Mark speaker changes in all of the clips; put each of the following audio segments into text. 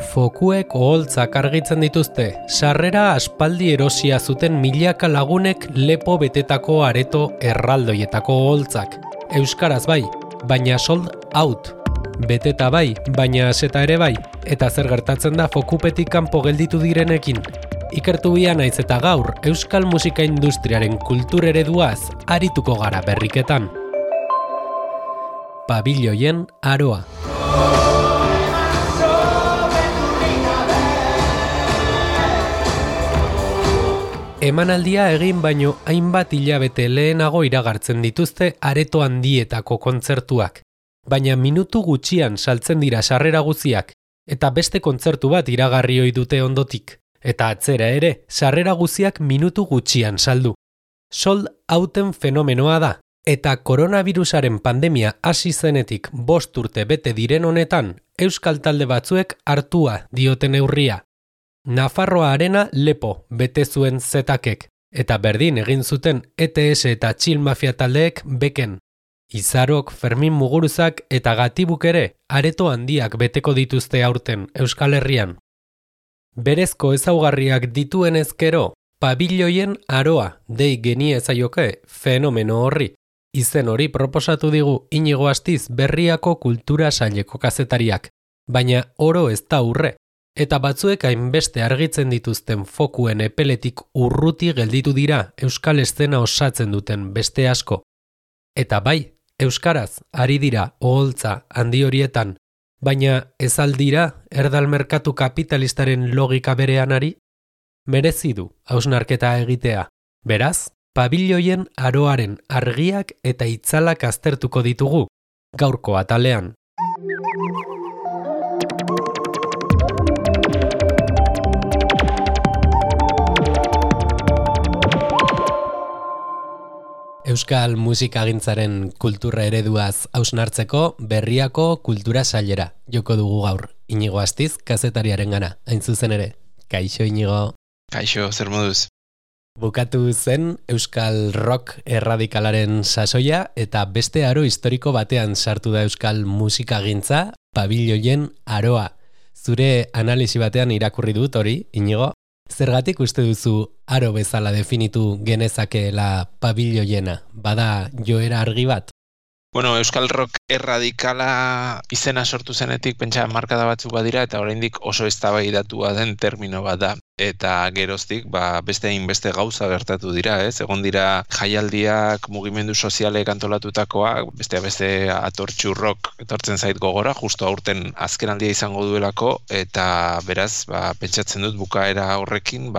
Speaker 1: Fokuek oholtzak argitzen dituzte, sarrera aspaldi erosia zuten milaka lagunek lepo betetako areto erraldoietako oholtzak. Euskaraz bai, baina sold out. Beteta bai, baina aseta ere bai, eta zer gertatzen da Fokupetik kanpo gelditu direnekin. Ikertu bia naiz eta gaur, euskal musika industriaren kultur ereduaz arituko gara berriketan. Pabilloien aroa. Emanaldia egin baino hainbat hilabete lehenago iragartzen dituzte areto handietako kontzertuak. Baina minutu gutxian saltzen dira sarrera guziak, eta beste kontzertu bat iragarri ohi dute ondotik. Eta atzera ere, sarrera guziak minutu gutxian saldu. Sold outen fenomenoa da, eta koronavirusaren pandemia hasi zenetik 5 urte bete diren honetan, euskal talde batzuek hartua dioten neurria. Nafarroa Arena lepo bete zuen zetakek, eta berdin egin zuten ETS eta Chill Mafia taldeek beken. Izarok, Fermin Muguruzak eta Gatibuk ere areto handiak beteko dituzte aurten Euskal Herrian. Berezko ezaugarriak dituen ezkero, pabilloien aroa dei geniezaioke fenomeno horri. Izen hori proposatu digu Inigo Astiz Berriako kultura saileko kazetariak, baina oro ez da urre. Eta batzuek hainbeste argitzen dituzten fokuen epeletik urruti gelditu dira euskal eszena osatzen duten beste asko. Eta bai, euskaraz ari dira oholtza handi horietan, baina ez aldira erdal merkatu kapitalistaren logika berean ari? Merezi du hausnarketa egitea. Beraz, pabilloien aroaren argiak eta itzalak aztertuko ditugu, gaurko atalean. Euskal musikagintzaren kultura ereduaz hausnartzeko Berriako kultura sailera joko dugu gaur. Inigo Astiz, kazetariarengana, hain zuzen ere. Kaixo, Inigo.
Speaker 2: Kaixo, zer moduz?
Speaker 1: Bukatu zen Euskal rock erradikalaren sasoia eta beste aro historiko batean sartu da Euskal musikagintza, pabilloien aroa. Zure analisi batean irakurri dut hori, Inigo. Zergatik uste duzu aro bezala definitu genezakeela pabilloiena? Bada joera argi bat?
Speaker 2: Bueno, Euskal rock erradikala izena sortu zenetik pentsa markada batzuk badira eta oraindik oso eztabaidatua den termino bat da. Eta geroztik beste hainbeste gauza gertatu dira, ez? Egon dira jaialdiak mugimendu sozialek antolatutakoa, beste atortxu rock etortzen zait gogora, justo aurten azkenaldia izango duelako, eta beraz, pentsatzen dut bukaera horrekin,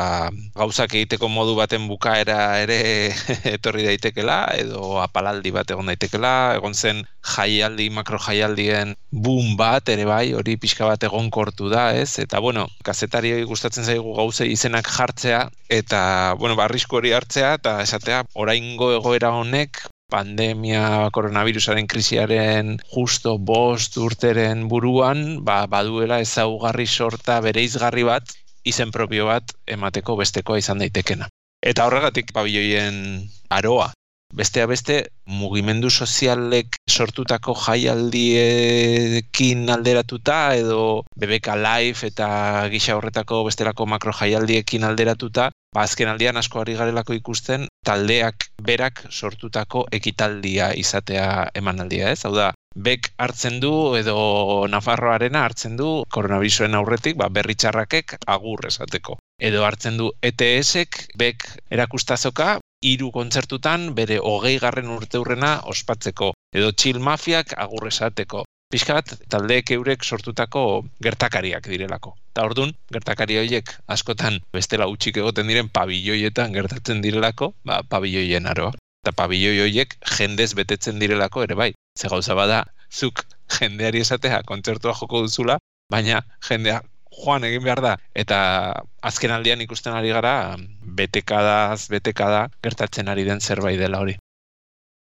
Speaker 2: gauzak egiteko modu baten bukaera ere etorri daitekela, edo apalaldi bat egon daitekela, egon zen jaialdi, makro jaialdien boom bat, ere bai, hori pixka bat egonkortu da, ez? Eta, kazetarioi gustatzen zaigu gauzei izenak jartzea, eta, arrisku hori hartzea, eta esatea, oraingo egoera honek, pandemia, koronavirusaren krisiaren justo 5 urteren buruan, baduela ezaugarri sorta bereizgarri bat, izen propio bat emateko bestekoa izan daitekena. Eta horregatik pabilloien aroa. Besteak beste, mugimendu sozialek sortutako jaialdiekin alderatuta edo BBK Live eta gisa horretako bestelako makro jaialdiekin alderatuta, azkenaldian asko ari garelako ikusten taldeak berak sortutako ekitaldia izatea emanaldia, ez? Hau da, bek hartzen du edo Nafarroa Arena hartzen du koronavirusaren aurretik berri txarrakek agur esateko. Edo hartzen du ETS-ek bek erakustazoka 3 kontzertutan bere 20. urteurrena ospatzeko, edo Chill Mafiak agur esateko. Pixka bat, taldeek eurek sortutako gertakariak direlako. Eta orduan, gertakari horiek askotan bestela utxik egoten diren pabilloietan gertatzen direlako, pabilloien aroa. Eta pabilloi horiek jendez betetzen direlako ere bai. Ze gauza bada, zuk jendeari esatea kontzertua joko duzula, baina jendea joan egin behar da. Eta azken aldian ikusten ari gara, betekada gertatzen ari den zerbait dela hori.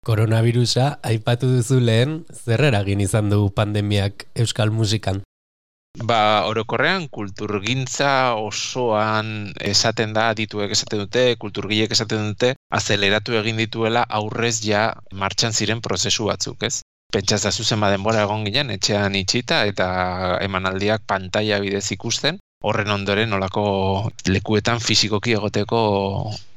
Speaker 1: Koronavirusa aipatu duzu lehen, zer eragin izan du pandemiak euskal musikan?
Speaker 2: Orokorrean kulturgintza osoan esaten da, adituek esaten dute, kulturgileek esaten dute, azeleratu egin dituela aurrez ja martxan ziren prozesu batzuk, ez? Pentsatza zuzen denbora egon ginen, etxean itxita eta emanaldiak pantaila bidez ikusten, horren ondoren nolako lekuetan fisikoki egoteko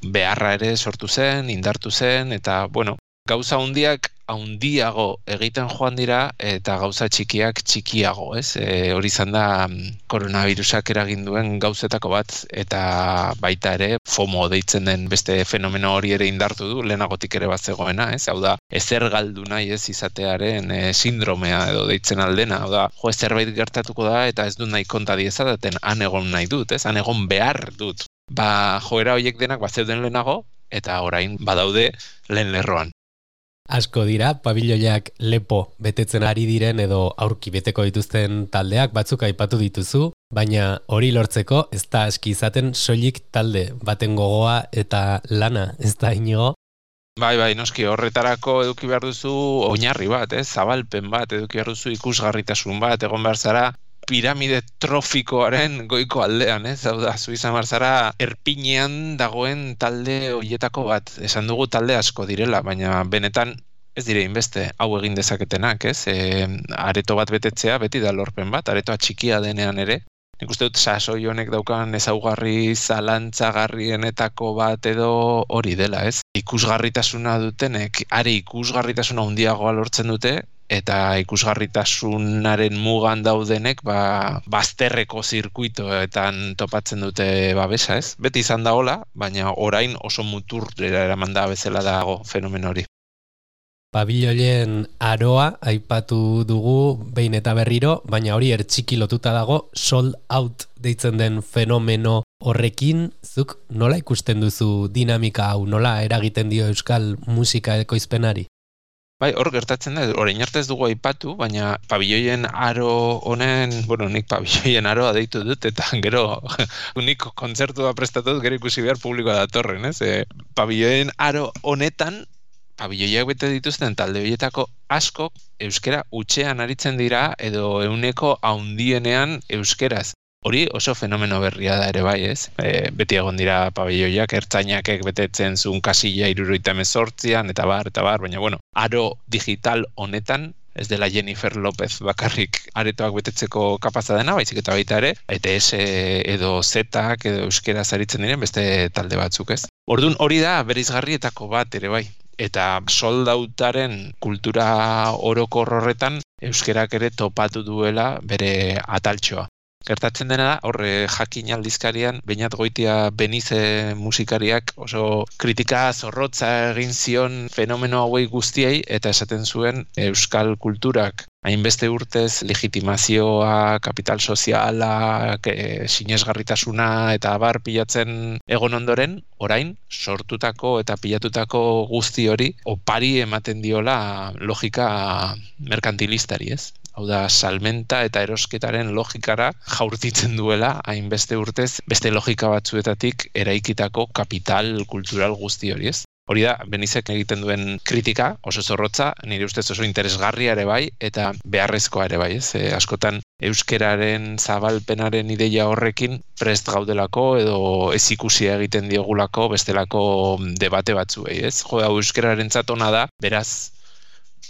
Speaker 2: beharra ere sortu zen, indartu zen, eta, bueno, gauza handiago egiten joan dira eta gauza txikiak txikiago, ez? Hori izan da koronavirusak eragin duen gauzetako bat, eta baita ere FOMO deitzen den beste fenomeno hori ere indartu du, lehenagotik ere bat zegoena, ez? Hau da, ezer galdu nahi ez izatearen sindromea edo deitzen aldena, hau da, zerbait gertatuko da eta ez dut nahi konta diezadaten, han egon nahi dut, ez? Han egon behar dut. Joera horiek denak zeuden lehenago, eta orain badaude lehen lerroan.
Speaker 1: Asko dira, pabiloiak lepo betetzen ari diren edo aurki beteko dituzten taldeak batzuk aipatu dituzu, baina hori lortzeko ez da aski izaten soilik talde baten gogoa eta lana, ez da Inigo?
Speaker 2: Bai, noski, horretarako eduki behar duzu oinarri bat, zabalpen bat, eduki behar duzu ikusgarritasun bat, egon behar zara piramide trofikoaren goiko aldean, hau da, zu izan behar zara erpinean dagoen talde horietako bat. Esan dugu talde asko direla, baina benetan ez dire inbeste hau egin dezaketenak, areto bat betetzea beti da lorpen bat, aretoa txikia denean ere. Nik uste dut sasoi honek daukan ezaugarri zalantzagarrienetako bat edo hori dela, Ikusgarritasuna dutenek, are ikusgarritasuna handiagoa lortzen dute, eta ikusgarritasunaren mugan daudenek bazterreko zirkuitoetan topatzen dute babesa, Beti izan da hola, baina orain oso muturrera eraman da bezala dago fenomeno hori.
Speaker 1: Pabiloien aroa aipatu dugu behin eta berriro, baina hori ertxiki lotuta dago sold out deitzen den fenomeno horrekin, zuk nola ikusten duzu dinamika hau, nola eragiten dio euskal musika ekoizpenari?
Speaker 2: Bai, hor gertatzen da, orain arte ez dugu aipatu, baina pabiloien aro honen, nik pabiloien aroa deitu dut, eta gero nik kontzertua prestatut, gero ikusi behar publikoa datorren, Pabiloien aro honetan, pabiloiak bete dituzten talde horietako askok euskera hutsean aritzen dira edo ehuneko handienean euskeraz. Hori oso fenomeno berria da ere bai, Beti egon dira pabiloiak, ertzainakek betetzen zuen kasilla 78an, eta bar, baina, aro digital honetan, ez dela Jennifer Lopez bakarrik aretoak betetzeko kapaza dena, baizik eta baita ere, ETS edo Zetak edo euskeraz aritzen diren beste talde batzuk, Orduan hori da bereizgarrietako bat ere bai. Eta soldautaren kultura orokor horretan euskerak ere topatu duela bere ataltxoa. Gertatzen dena da, horre jakin aldizkarian, Beñat Goitia Benize musikariak oso kritika zorrotza egin zion fenomeno hauei guztiei eta esaten zuen euskal kulturak hainbeste urtez legitimazioa, kapital soziala, sinesgarritasuna eta abar pilatzen egon ondoren, orain sortutako eta pilatutako guzti hori opari ematen diola logika merkantilistari, Hau da, salmenta eta erosketaren logikara jaurtitzen duela hainbeste urtez beste logika batzuetatik eraikitako kapital kultural guzti hori, Hori da, Benizek egiten duen kritika, oso zorrotza, nire ustez oso interesgarria ere bai, eta beharrezkoa ere bai, Askotan euskeraren zabalpenaren ideia horrekin prest gaudelako edo ez ikusia egiten diogulako bestelako debate batzuei, Jo, euskeraren zatona da, beraz,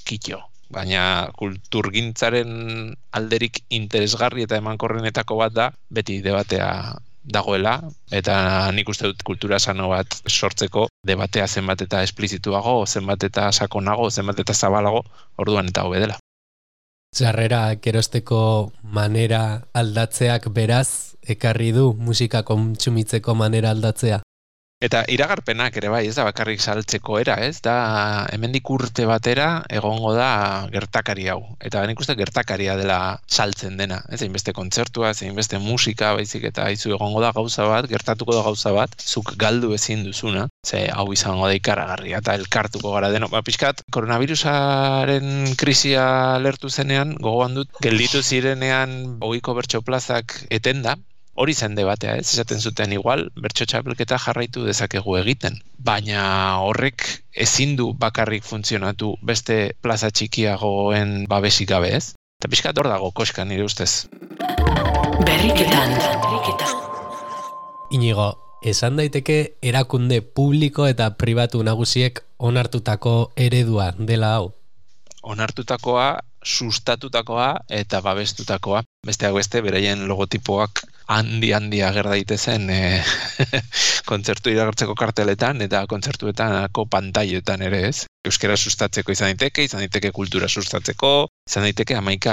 Speaker 2: kitxo. Baina kulturgintzaren alderik interesgarri eta emankorrenetako bat da, beti debatea dagoela, eta nik uste dut kultura sano bat sortzeko debatea zenbat eta esplizituago, zenbat eta sakonago, zenbat eta zabalago, orduan eta hobe dela.
Speaker 1: Sarrera erosteko manera aldatzeak beraz ekarri du musika kontsumitzeko manera aldatzea?
Speaker 2: Eta iragarpenak ere bai, ez da bakarrik saltzeko era, da hemendik urte batera egongo da gertakari hau. Eta nik uste gertakaria dela saltzen dena, hainbeste kontzertua, hainbeste musika, baizik eta haizu egongo da gauza bat, gertatuko da gauza bat, zuk galdu ezin duzuna, hau izango da ikaragarria eta elkartuko gara deno. Pixkat, koronavirusaren krisia lertu zenean, gogoan dut, gelditu zirenean ohiko bertso plazak etenda, hori zen debatea, esaten zuten igual, bertso txapelketa jarraitu dezakegu egiten. Baina horrek ezin du bakarrik funtzionatu beste plaza txikiagoen babesik gabe, Eta pixkat hor dago koska nire ustez.
Speaker 3: Berriketan.
Speaker 1: Inigo, esan daiteke erakunde publiko eta pribatu nagusiek onartutako eredua dela hau?
Speaker 2: onartutakoa, sustatutakoa eta babestutakoa. Besteak beste, beraien logotipoak handi ager daitezen kontzertu iragartzeko karteletan eta kontzertuetanako pantailetan ere, ez? Euskara sustatzeko izan daiteke kultura sustatzeko, izan daiteke 11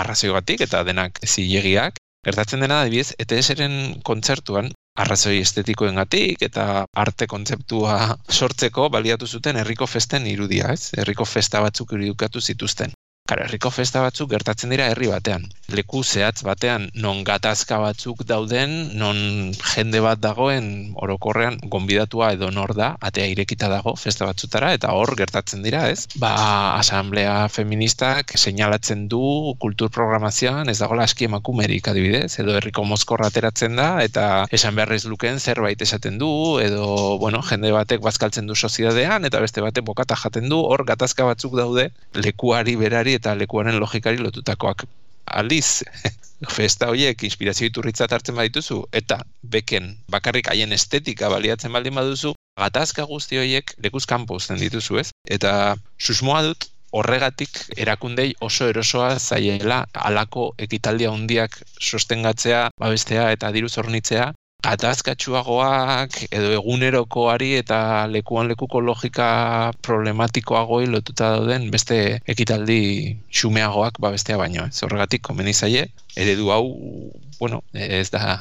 Speaker 2: arrazoigatik eta denak zilegiak. Gertatzen dena, adibidez, ETS-ren kontzertuan arrazoi estetikoengatik eta arte kontzeptua sortzeko baliatu zuten herriko festen irudia, ez? Herriko festa batzuk irudikatu zituzten. Karo, herriko festa batzuk gertatzen dira herri batean. Leku zehatz batean, non gatazka batzuk dauden, non jende bat dagoen orokorrean gonbidatua edo nor da, atea irekita dago festa batzutara, eta hor gertatzen dira, ez? Asamblea feministak seinalatzen du kultur programazioan ez dagoela aski emakumerik adibidez, edo herriko mozkorra ateratzen da, eta esan beharrez luken zerbait esaten du, edo, jende batek bazkaltzen du soziedadean, eta beste batek bokata jaten du, hor gatazka batzuk daude, lekuari berari eta lekuaren logikari lotutakoak. Aldiz, festa horiek inspirazio iturritzat hartzen badituzu, eta beken bakarrik haien estetika baliatzen baldin baduzu, gatazka guzti horiek lekuz kanpo uzten dituzu, ez? Eta susmoa dut, horregatik erakundei oso erosoa zaiela halako ekitaldia handiak sostengatzea, babestea eta diruz hornitzea, gatazkatsuagoak edo egunerokoari eta lekuan lekuko logika problematikoagoi lotuta dauden beste ekitaldi xumeagoak babestea baino. Horregatik komeni zaie, eredu hau, ez da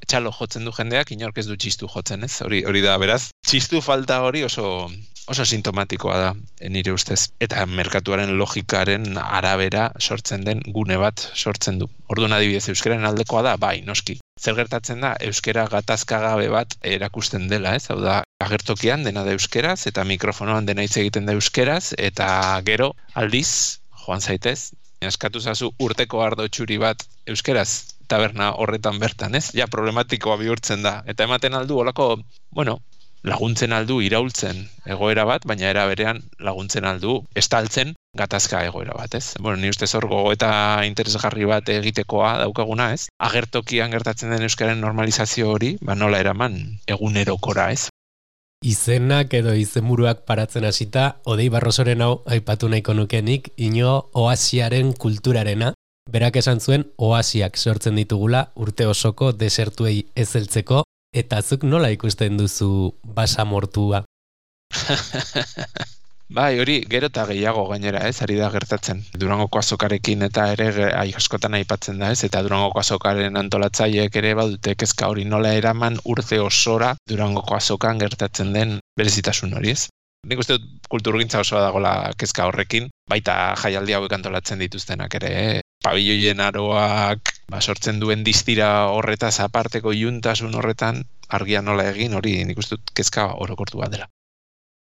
Speaker 2: txalo jotzen du jendeak, inork ez du txistu jotzen, ez? Hori da, beraz, txistu falta hori oso sintomatikoa da, nire ustez. Eta merkatuaren logikaren arabera sortzen den gune bat sortzen du. Orduan adibidez, euskararen aldekoa da, bai, noski. Zer gertatzen da, euskara gatazkagabe bat erakusten dela, ez? Hau da, agertokian dena da euskeraz, eta mikrofonoan dena hitz egiten da euskeraz, eta gero, aldiz, joan zaitez, eskatu zazu urteko ardo txuri bat euskeraz, taberna horretan bertan, ez? Ja, problematikoa bihurtzen da. Eta ematen aldu, holako, laguntzen aldu iraultzen egoera bat, baina era berean laguntzen aldu estaltzen gatazka egoera bat, ez? Ni ustez hor gogoeta interesgarri bat egitekoa daukaguna, ez? Agertokian gertatzen den euskaren normalizazio hori, nola eraman egunerokora, ez?
Speaker 1: Izenak edo izenburuak paratzen hasita, Odei Barrosoren hau aipatu nahiko nukenik, Iñigo oasiaren kulturarena. Berak esan zuen oasiak sortzen ditugula urte osoko desertuei ez heltzeko, eta zuk nola ikusten duzu basamortua?
Speaker 2: Bai, hori gero eta gehiago gainera, ez, ari da gertatzen. Durangoko azokarekin eta ere askotan aipatzen da, ez, eta Durangoko azokaren antolatzaileek ere badute kezka hori nola eraman urte osora Durangoko azokan gertatzen den berezitasun hori, ez. Nik uste dut kulturgintza osoa dagoela kezka horrekin, baita jaialdi hauek antolatzen dituztenak ere, pabiloien aroak, sortzen duen distira horretaz aparteko iluntasun horretan argia nola egin, hori nik uste dut kezka orokortu bat dela.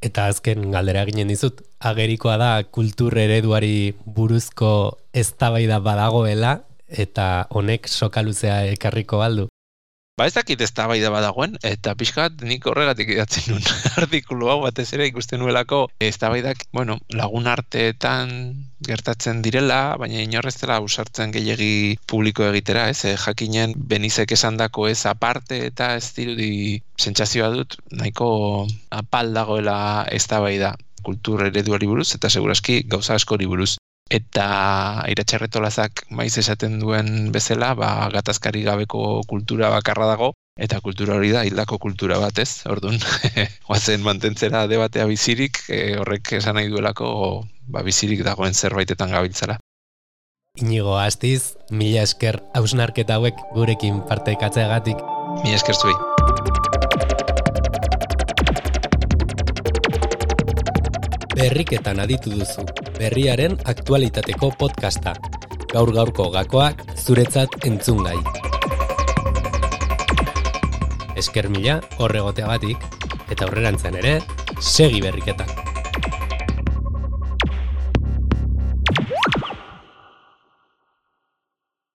Speaker 1: Eta azken galdera ginen dizut, agerikoa da kultur ereduari buruzko eztabaida badagoela, eta honek soka luzea ekarriko baldu.
Speaker 2: Ez dakit eztabaida badagoen, eta pixkat nik horregatik idatzen nuen artikulu hau batez ere ikusten nuelako eztabaidak, lagun arteetan gertatzen direla, baina inorrez dela ausartzen gehiegi publiko egitera, ez? Jakinen Benizek esandako ez aparte eta ez dirudi sentsazioa dut, nahiko apal dagoela eztabaida kultur ereduari buruz, eta seguraski gauza askori buruz. Eta Iratxarretolazak maiz esaten duen bezala, gatazkari gabeko kultura bakarra dago, eta kultura hori da hildako kultura bat, ez? Orduan, oazen mantentzera debatea bizirik, horrek esan nahi duelako bizirik dagoen zerbaitetan gabiltzara.
Speaker 1: Iñigo Astiz, mila esker hausnarketa hauek gurekin partekatzeagatik.
Speaker 2: Mila esker zuei.
Speaker 1: Berriketan aditu duzu, berriaren aktualitateko podcasta. Gaur-gaurko gakoak zuretzat entzungai. Esker mila horregoteagatik, eta aurrerantzean ere, segi berriketan.